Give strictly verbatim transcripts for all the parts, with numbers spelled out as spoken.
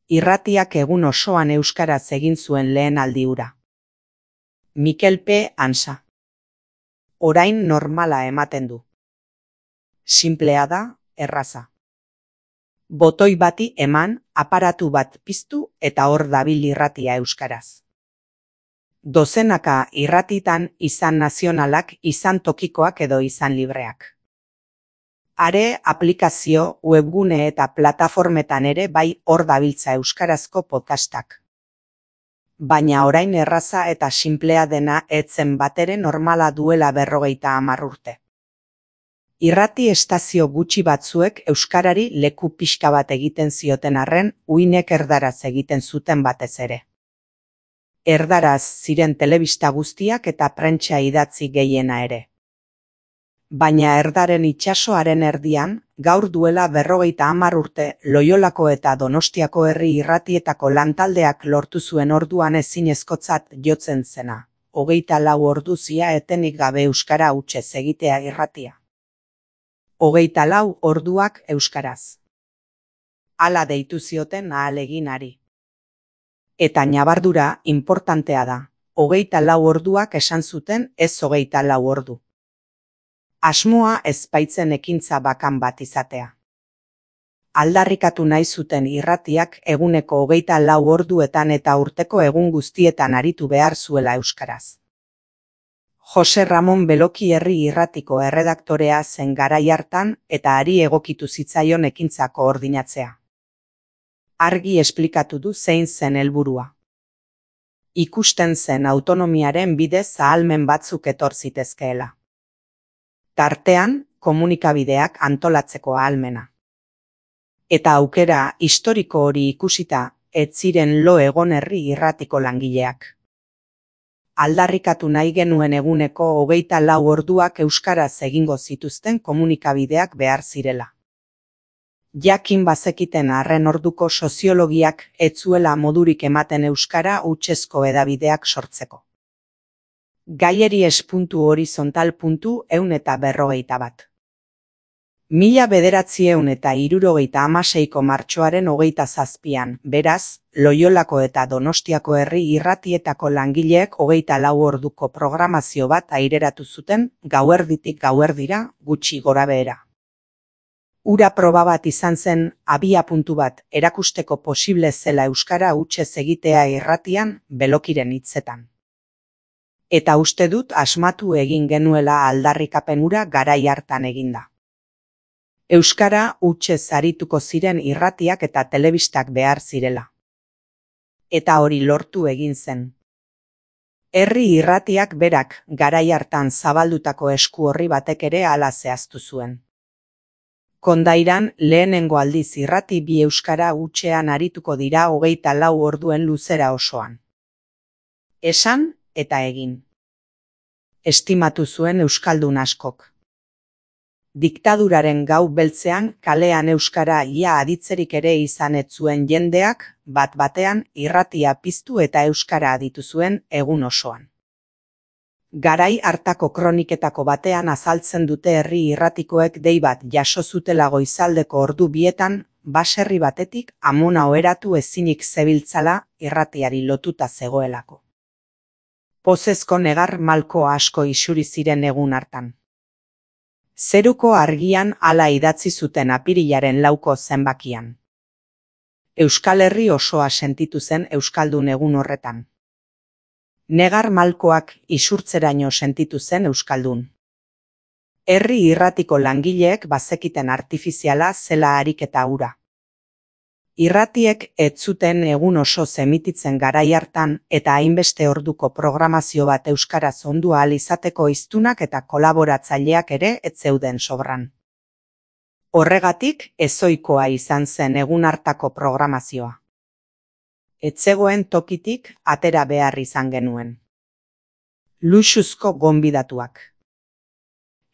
Irratiak egun osoan euskaraz egin zuen lehen aldi hura. Mikel P. Ansa. Orain normala ematen du. Sinplea da, erraza. Botoi bati eman, aparatu bat piztu eta hor dabil irratia euskaraz. Dozenaka irratitan izan nazionalak, izan tokikoak edo izan libreak. Are aplikazio, webgune eta plataformetan ere bai hor dabiltza euskarazko podcastak. Baina orain erraza eta sinplea dena etzen batere normala duela berrogeita hamar urte. Irrati estazio gutxi batzuek euskarari leku pixka bat egiten zioten arren, uinek erdaraz egiten zuten batez ere. Erdaraz ziren telebista guztiak eta prentsa idatzi gehiena ere. Baina erdaren itsasoaren erdian, gaur duela berrogeita hamar urte, Loiolako eta Donostiako herri irratietako lantaldeak lortu zuen orduan ezinezkotzat jotzen zena. Hogeita lau orduzia etenik gabe euskara hutsez egitea irratia. Hogeita lau orduak euskaraz. Hala deitu zioten ahaleginari. Eta ñabardura inportantea da. Hogeita lau orduak esan zuten, ez hogeita lau ordu. Asmoa ezpaitzen ekintza bakan bat izatea. Aldarrikatu nahi zuten irratiak eguneko hogeita lau orduetan eta urteko egun guztietan aritu behar zuela euskaraz. Jose Ramon Beloki herri irratiko erredaktorea zen garai hartan eta hari egokitu zitzaion ekintza koordinatzea. Argi esplikatu du zein zen helburua. Ikusten zen autonomiaren bidez ahalmen batzuk etor zitezkeela. Tartean, komunikabideak antolatzeko ahalmena. Eta aukera historiko hori ikusita, ez ziren lo egon herri irratiko langileak. Aldarrikatu nahi genuen eguneko hogeita lau orduak euskaraz egingo zituzten komunikabideak behar zirela. Jakin bazekiten arren orduko soziologiak ez zuela modurik ematen euskara hutsezko hedabideak sortzeko. Gaieri espuntu horizontal puntu ehun eta berrogeita bat. Mila bederatziehun eta hirurogeita hamaseiko martxoaren hogeita zazpian, beraz, Loiolako eta Donostiako herri irratietako langileek hogeita lau orduko programazio bat aireratu zuten gauerditik gauerdira gutxi gorabehera. Ura proba bat izan zen abia puntu bat erakusteko posible zela euskara hutsez egitea irratian Belokiren hitzetan. Eta uste dut asmatu egin genuela aldarrikapen hura garai hartan eginda. Euskara hutsez arituko ziren irratiak eta telebistak behar zirela. Eta hori lortu egin zen. Herri irratiak berak garai hartan zabaldutako esku horri batek ere hala zehaztu zuen. Kondairan lehenengo aldiz irrati bi euskara hutsean arituko dira hogeita lau orduen luzera osoan. Esan eta egin. Estimatu zuen euskaldun askok. Diktaduraren gau beltzean kalean euskara ia aditzerik ere izan ez zuen jendeak, bat batean irratia piztu eta euskara aditu zuen egun osoan. Garai hartako kroniketako batean azaltzen dute herri irratikoek dei bat jaso zutela goizaldeko ordu bietan, baserri batetik amona oheratu ezinik zebiltzala irratiari lotuta zegoelako. Pozezko negar malko asko isuri ziren egun hartan. Zeruko argian hala idatzi zuten apirilaren lauko zenbakian. Euskal Herri osoa sentitu zen euskaldun egun horretan. Negar malkoak isurtzeraino sentitu zen euskaldun. Herri irratiko langileek bazekiten artifiziala zela ariketa hura. Irratiek ez zuten egun oso zemititzen garai hartan eta hainbeste orduko programazio bat euskaraz ondu ahal izateko hiztunak eta kolaboratzaileak ere ez zeuden sobran. Horregatik ezohikoa izan zen egun hartako programazioa. Ez zegoen tokitik atera behar izan genuen. Luxuzko gonbidatuak.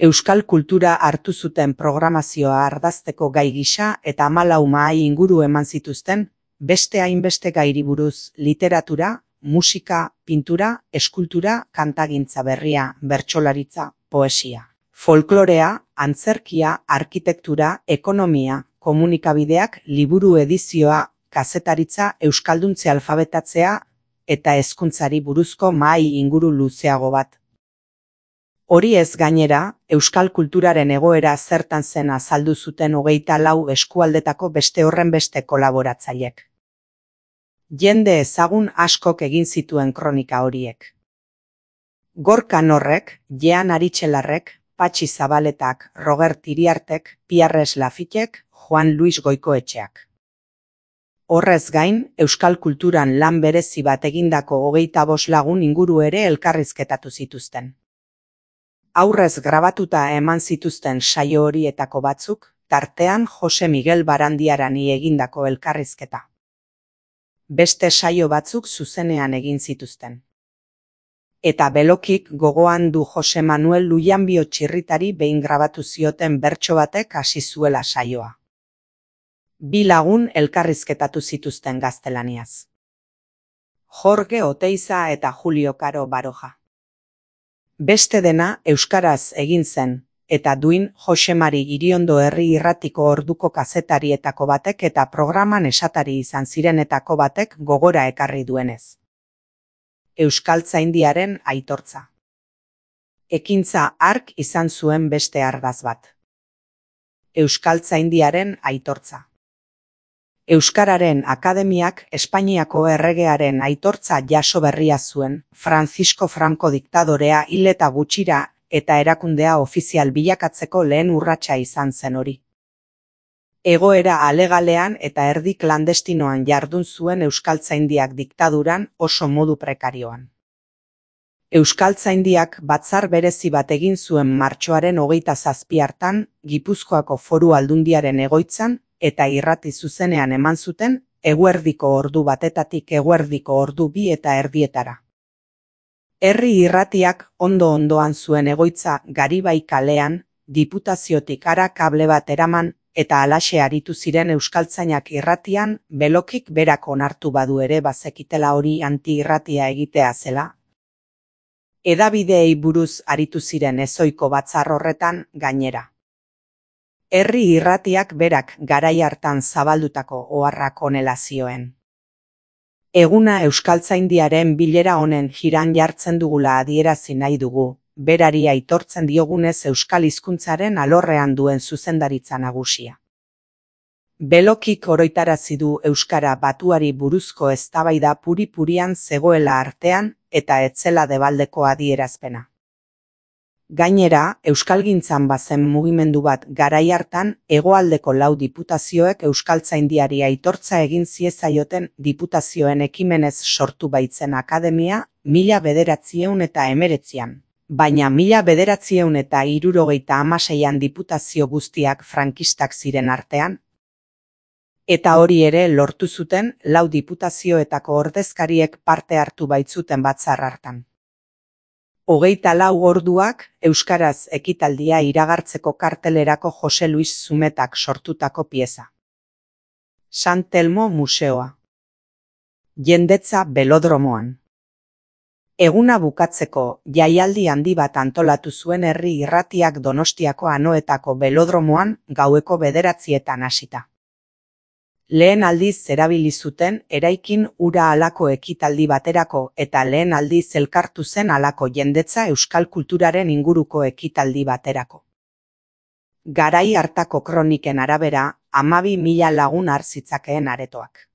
Euskal kultura hartu zuten programazioa ardazteko gai gisa eta hamalau mahai inguru eman zituzten, beste hainbeste gairi buruz literatura, musika, pintura, eskultura, kantagintza berria, bertsolaritza, poesia, folklorea, antzerkia, arkitektura, ekonomia, komunikabideak, liburu edizioa, kazetaritza, euskalduntze alfabetatzea eta hezkuntzari buruzko mahai inguru luzeago bat. Hori ez gainera, euskal kulturaren egoera zertan zen azaldu zuten hogeita lau eskualdetako beste horrenbeste kolaboratzailek. Jende ezagun askok egin zituen kronika horiek. Gorka Norrek, Jean Aritxelarrek, Patxi Zabaletak, Robert Iriartek, Pierres Lafitek, Juan Luis Goikoetxeak. Horrez gain, euskal kulturan lan berezi bat egindako hogeita bost lagun inguru ere elkarrizketatu zituzten. Aurrez grabatuta eman zituzten saio horietako batzuk, tartean Jose Miguel Barandiarani egindako elkarrizketa. Beste saio batzuk zuzenean egin zituzten. Eta belokik gogoan du Jose Manuel Lujanbio Txirritari behin grabatu zioten bertso batek hasi zuela saioa. Bi lagun elkarrizketatu zituzten gaztelaniaz. Jorge Oteiza eta Julio Caro Baroja. Beste dena euskaraz egin zen, eta duin Jose Mari Iriondo Herri Irratiko orduko kazetarietako batek eta programan esatari izan zirenetako batek gogora ekarri duenez. Euskaltzaindiaren aitortza. Ekintza hark izan zuen beste argaz bat. Euskaltzaindiaren aitortza. Euskararen Akademiak Espainiako erregearen aitortza jaso berria zuen, Francisco Franco diktadorea hil eta gutxira eta erakundea ofizial bilakatzeko lehen urratsa izan zen hori. Egoera alegalean eta erdi klandestinoan jardun zuen Euskaltzaindiak diktaduran oso modu prekarioan. Euskaltzaindiak batzar berezi bat egin zuen martxoaren hogeita zazpi hartan, Gipuzkoako Foru Aldundiaren egoitzan, eta irrati zuzenean eman zuten, eguerdiko ordu batetatik eguerdiko ordu bi eta erdietara. Herri irratiak ondo-ondoan zuen egoitza Garibai kalean, Diputaziotik hara kable bat eraman, eta halaxe aritu ziren euskaltzainak irratian, belokik berak onartu badu ere bazekitela hori anti-irratia egitea zela. Hedabideei buruz aritu ziren ezoiko batzar horretan gainera. Herri irratiak berak garai hartan zabaldutako oharrak honela zioen. Eguna euskaltzaindiaren bilera honen jiran jartzen dugula adierazi nahi dugu, berari aitortzen diogunez euskal hizkuntzaren alorrean duen zuzendaritza nagusia. Belokik oroitarazi du euskara batuari buruzko eztabaida puri-purian zegoela artean eta etzela debaldeko adierazpena. Gainera, euskalgintzan bazen mugimendu bat garai hartan hegoaldeko lau diputazioek euskaltzaindiari aitortza egin ziezaioten diputazioen ekimenez sortu baitzen akademia mila bederatziehun eta hemeretzian. Baina mila bederatziehun eta hirurogeita hamaseian diputazio guztiak frankistak ziren artean. Eta hori ere lortu zuten lau diputazioetako ordezkariek parte hartu baitzuten batzar hartan. Hogeita lau orduak euskaraz ekitaldia iragartzeko kartelerako Jose Luis Zumetak sortutako pieza. San Telmo Museoa. Jendetza belodromoan. Eguna bukatzeko jaialdi handi bat antolatu zuen herri irratiak Donostiako Anoetako belodromoan gaueko bederatzietan hasita. Lehen aldiz erabili zuten eraikin ura halako ekitaldi baterako eta lehen aldiz elkartu zen halako jendetza euskal kulturaren inguruko ekitaldi baterako. Garai hartako kroniken arabera, hamabi mila lagun har zitzakeen aretoak.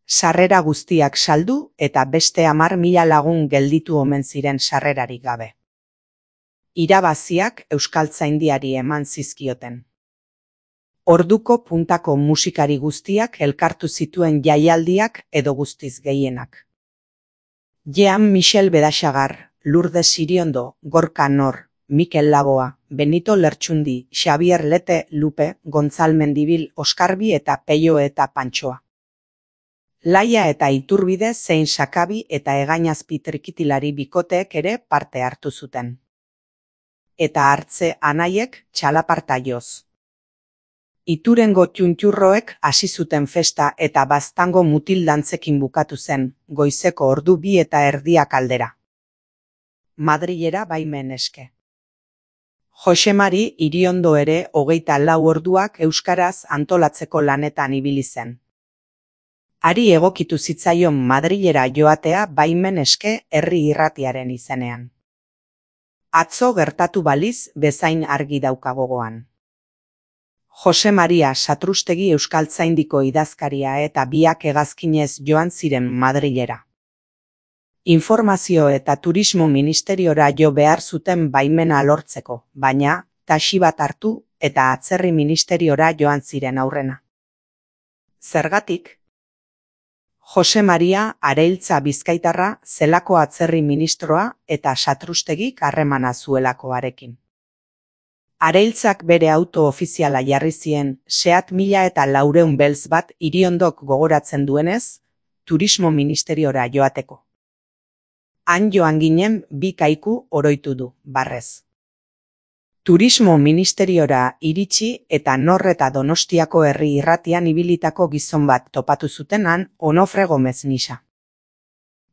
Sarrera guztiak saldu eta beste hamar mila lagun gelditu omen ziren sarrerarik gabe. Irabaziak euskaltzaindiari eman zizkioten. Orduko puntako musikari guztiak elkartu zituen jaialdiak edo guztiz gehienak. Jean Michel Bedaxagar, Lourdes Iriondo, Gorka Nor, Mikel Laboa, Benito Lertxundi, Xavier Lete, Lupe, Gontzal Mendibil, Oskarbi eta Peio eta Pantxoa. Laia eta Iturbide zein Sakabi eta Egainazpi trikitilari bikoteek ere parte hartu zuten. Eta hartze anaiek txalaparta joz. Iturengo txuntxurroek hasi zuten festa eta baztango mutil dantzekin bukatu zen, goizeko ordu bi eta erdiak aldera. Madrilera baimen eske. Jose Mari Iriondo ere hogeita lau orduak euskaraz antolatzeko lanetan ibili zen. Hari egokitu zitzaion Madrilera joatea baimen eske herri irratiaren izenean. Atzo gertatu baliz bezain argi dauka gogoan. Jose Maria Satrustegi Euskaltzaindiko idazkaria eta biak hegazkinez joan ziren Madrilera. Informazio eta Turismo Ministeriora jo behar zuten baimena lortzeko, baina taxi bat hartu eta Atzerri Ministeriora joan ziren aurrena. Zergatik? Jose Maria Areiltza Bizkaitarra zelako atzerri ministroa eta Satrustegik harremana zuelakoarekin. Areiltzak bere auto ofiziala jarri zien Seat mila eta laureun beltz bat Iriondok gogoratzen duenez, Turismo Ministeriora joateko. Han joan ginen bi kaiku oroitu du, barrez. Turismo Ministeriora iritsi eta Nor eta Donostiako herri irratian ibilitako gizon bat topatu zutenan Onofre Gomez Nisa.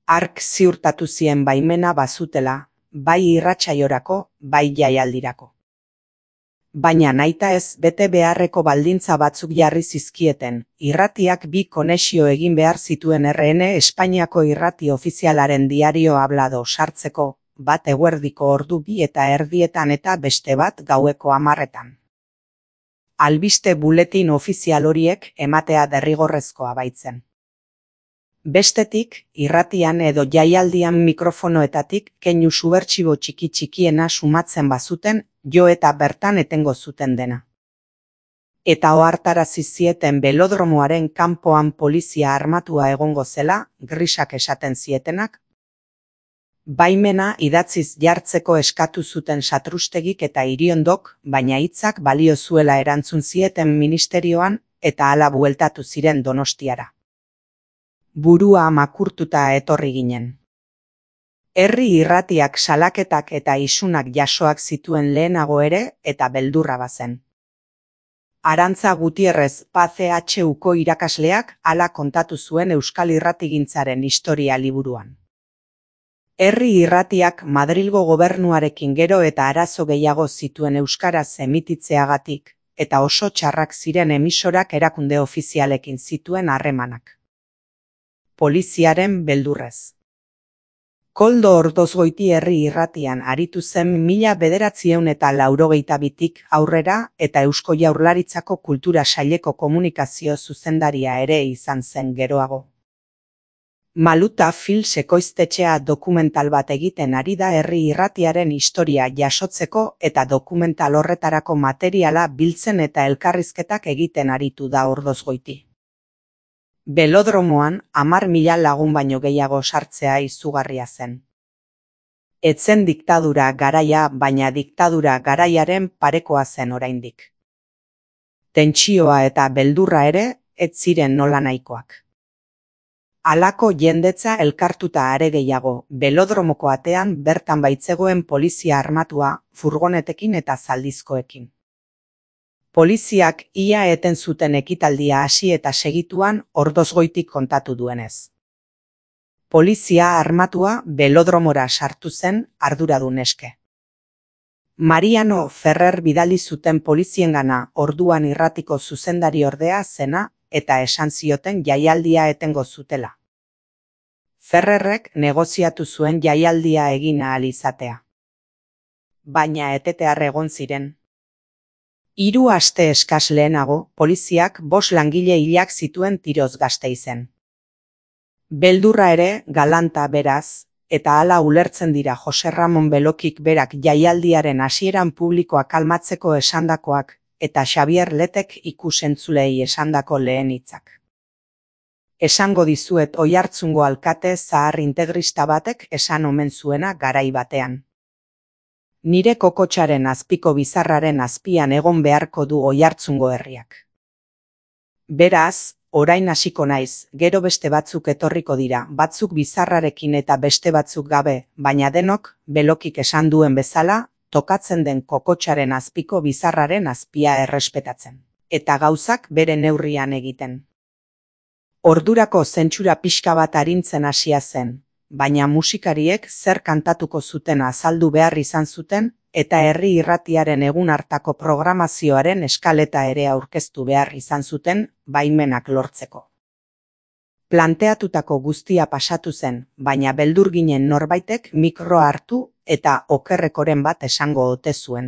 Hark ziurtatu zien baimena bazutela, bai irratsaiorako, bai jaialdirako. Baina nahita ez bete beharreko baldintza batzuk jarri zizkieten, irratiak bi konexio egin behar zituen R N Espainiako irrati ofizialaren diario hablado sartzeko, bat eguerdiko ordu bi eta erdietan eta beste bat gaueko hamarretan. Albiste buletin ofizial horiek ematea derrigorrezkoa baitzen. Bestetik, irratian edo jaialdian mikrofonoetatik keinu subertsibo txiki txikiena sumatzen bazuten, jo eta bertan etengo zuten dena. Eta ohartarazi zieten belodromoaren kanpoan polizia armatua egongo zela, grisak esaten zietenak. Baimena idatziz jartzeko eskatu zuten Satrustegik eta Iriondok, baina hitzak balio zuela erantzun zieten ministerioan eta hala bueltatu ziren Donostiara. Burua makurtuta etorri ginen. Herri irratiak salaketak eta isunak jasoak zituen lehenago ere eta beldurra bazen. Arantza Gutierrez P C H Uko irakasleak hala kontatu zuen Euskal Irratigintzaren historia liburuan. Herri irratiak Madrilgo gobernuarekin gero eta arazo gehiago zituen euskaraz emititzeagatik, eta oso txarrak ziren emisorak erakunde ofizialekin zituen harremanak. Poliziaren beldurrez. Koldo Ordozgoiti herri irratian aritu zen mila bederatziehun eta laurogeita bitik aurrera eta Eusko Jaurlaritzako Kultura Saileko komunikazio zuzendaria ere izan zen geroago. Maluta Films ekoiztetxea dokumental bat egiten ari da herri irratiaren historia jasotzeko eta dokumental horretarako materiala biltzen eta elkarrizketak egiten aritu da Ordozgoiti. Belodromoan hamar mila lagun baino gehiago sartzea izugarria zen. Etzen diktadura garaia, baina diktadura garaiaren parekoa zen oraindik. Tentsioa eta beldurra ere ez ziren nola nahikoak. Halako jendetza elkartuta are gehiago, belodromoko atean bertan baitzegoen polizia armatua, furgonetekin eta zaldizkoekin. Poliziak ia eten zuten ekitaldia hasi eta segituan Ordozgoitik kontatu duenez. Polizia armatua belodromora sartu zen arduradun eske. Mariano Ferrer bidali zuten poliziengana orduan irratiko zuzendari ordea zena eta esan zioten jaialdia etengo zutela. Ferrerrek negoziatu zuen jaialdia egin ahal izatea. Baina etetear egon ziren. Hiru aste eskas lehenago, poliziak bost langile hilak zituen tiroz Gasteizen. Beldurra ere galanta beraz, eta hala ulertzen dira Jose Ramon Belokik berak jaialdiaren hasieran publikoa kalmatzeko esandakoak eta Xabier Letek ikusentzulei esandako lehen hitzak. Esango dizuet Oiartzungo alkate zahar integrista batek esan omen zuena garai batean. Nire kokotxaren azpiko bizarraren azpian egon beharko du Oiartzungo herriak. Beraz, orain hasiko naiz, gero beste batzuk etorriko dira, batzuk bizarrarekin eta beste batzuk gabe, baina denok, Belokik esan duen bezala, tokatzen den kokotxaren azpiko bizarraren azpia errespetatzen. Eta gauzak bere neurrian egiten. Ordurako zentsura pixka bat arintzen hasia zen, baina musikariek zer kantatuko zuten azaldu behar izan zuten eta herri irratiaren egun hartako programazioaren eskaleta ere aurkeztu behar izan zuten baimenak lortzeko. Planteatutako guztia pasatu zen, baina beldur ginen norbaitek mikroa hartu eta okerrekoren bat esango ote zuen.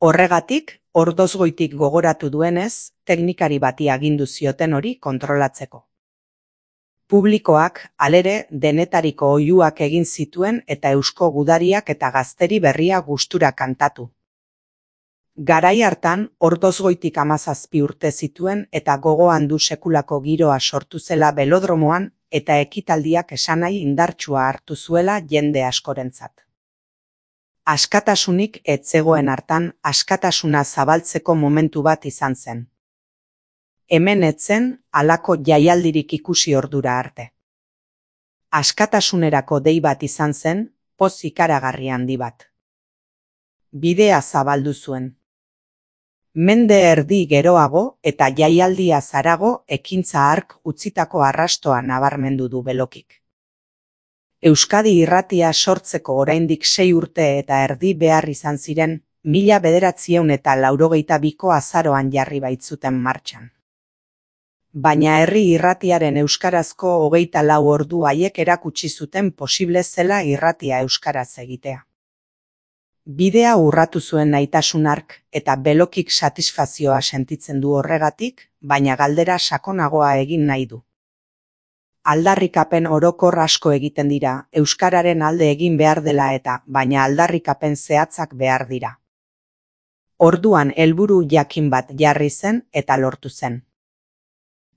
Horregatik, ordozgoitik gogoratu duenez, teknikari bati agindu zioten hori kontrolatzeko. Publikoak, halere, denetariko oihuak egin zituen eta eusko gudariak eta gazteri berria gustura kantatu. Garai hartan, ordozgoitik hamazazpi urte zituen eta gogoan du sekulako giroa sortu zela belodromoan eta ekitaldiak esanai indartsua hartu zuela jende askorentzat. Askatasunik ez zegoen hartan askatasuna zabaltzeko momentu bat izan zen. Hemen ez zen halako jaialdirik ikusi ordura arte. Askatasunerako dei bat izan zen, poz ikaragarri handi bat. Bidea zabaldu zuen. Mende erdi geroago eta jaialdia zarago ekintza hark utzitako arrastoa nabarmendu du Belokik. Euskadi irratia sortzeko oraindik sei urte eta erdi behar izan ziren, mila bederatziehun eta laurogeita biko azaroan jarri baitzuten martxan. Baina herri irratiaren euskarazko hogeita lau ordu haiek erakutsi zuten posible zela irratia euskaraz egitea. Bidea urratu zuen naitasun hark eta Belokik satisfazioa sentitzen du horregatik, baina galdera sakonagoa egin nahi du. Aldarrikapen orokor asko egiten dira, euskararen alde egin behar dela eta, baina aldarrikapen zehatzak behar dira. Orduan helburu jakin bat jarri zen eta lortu zen.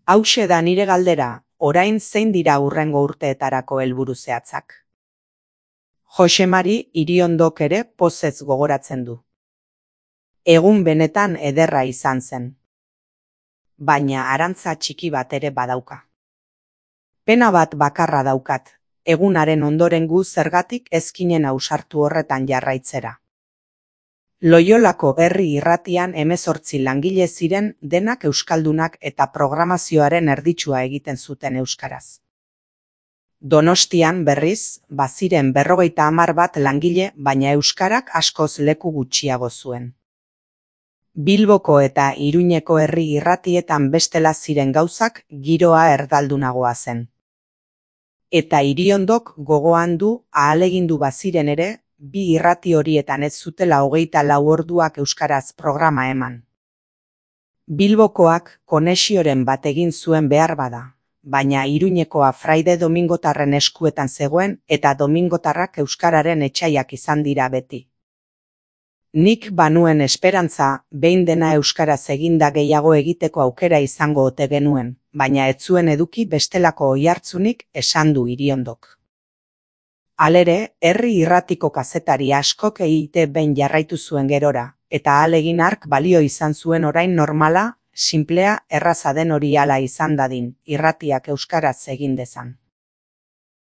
Hauxe da nire galdera, orain zein dira hurrengo urteetarako helburu zehatzak. Josemari Iriondok ere pozez gogoratzen du. Egun benetan ederra izan zen. Baina arantza txiki bat ere badauka. Pena bat bakarra daukat, egunaren ondoren gu zergatik ezkinen ausartu horretan jarraitzera. Loiolako herri irratian hemezortzi langile ziren denak euskaldunak eta programazioaren erditsua egiten zuten euskaraz. Donostian berriz, baziren berrogeita hamar bat langile, baina euskarak askoz leku gutxiago zuen. Bilboko eta Iruñeko herri irratietan bestela ziren gauzak giroa erdaldunagoa zen. Eta Iriondok gogoan du ahalegindu baziren ere, bi irrati horietan ez zutela hogeita lau orduak euskaraz programa eman. Bilbokoak konexioren bat egin zuen behar bada, baina Iruñekoa fraide domingotarren eskuetan zegoen eta domingotarrak euskararen etsaiak izan dira beti. Nik banuen esperantza, behin dena euskaraz eginda gehiago egiteko aukera izango ote genuen, baina ez zuen eduki bestelako oihartzunik esan du Iriondok. Halere, herri irratiko kazetari askok egite behin jarraitu zuen gerora, eta ahalegin hark balio izan zuen orain normala, sinplea, erraza den hori hala izan dadin, irratiak euskaraz egin dezan.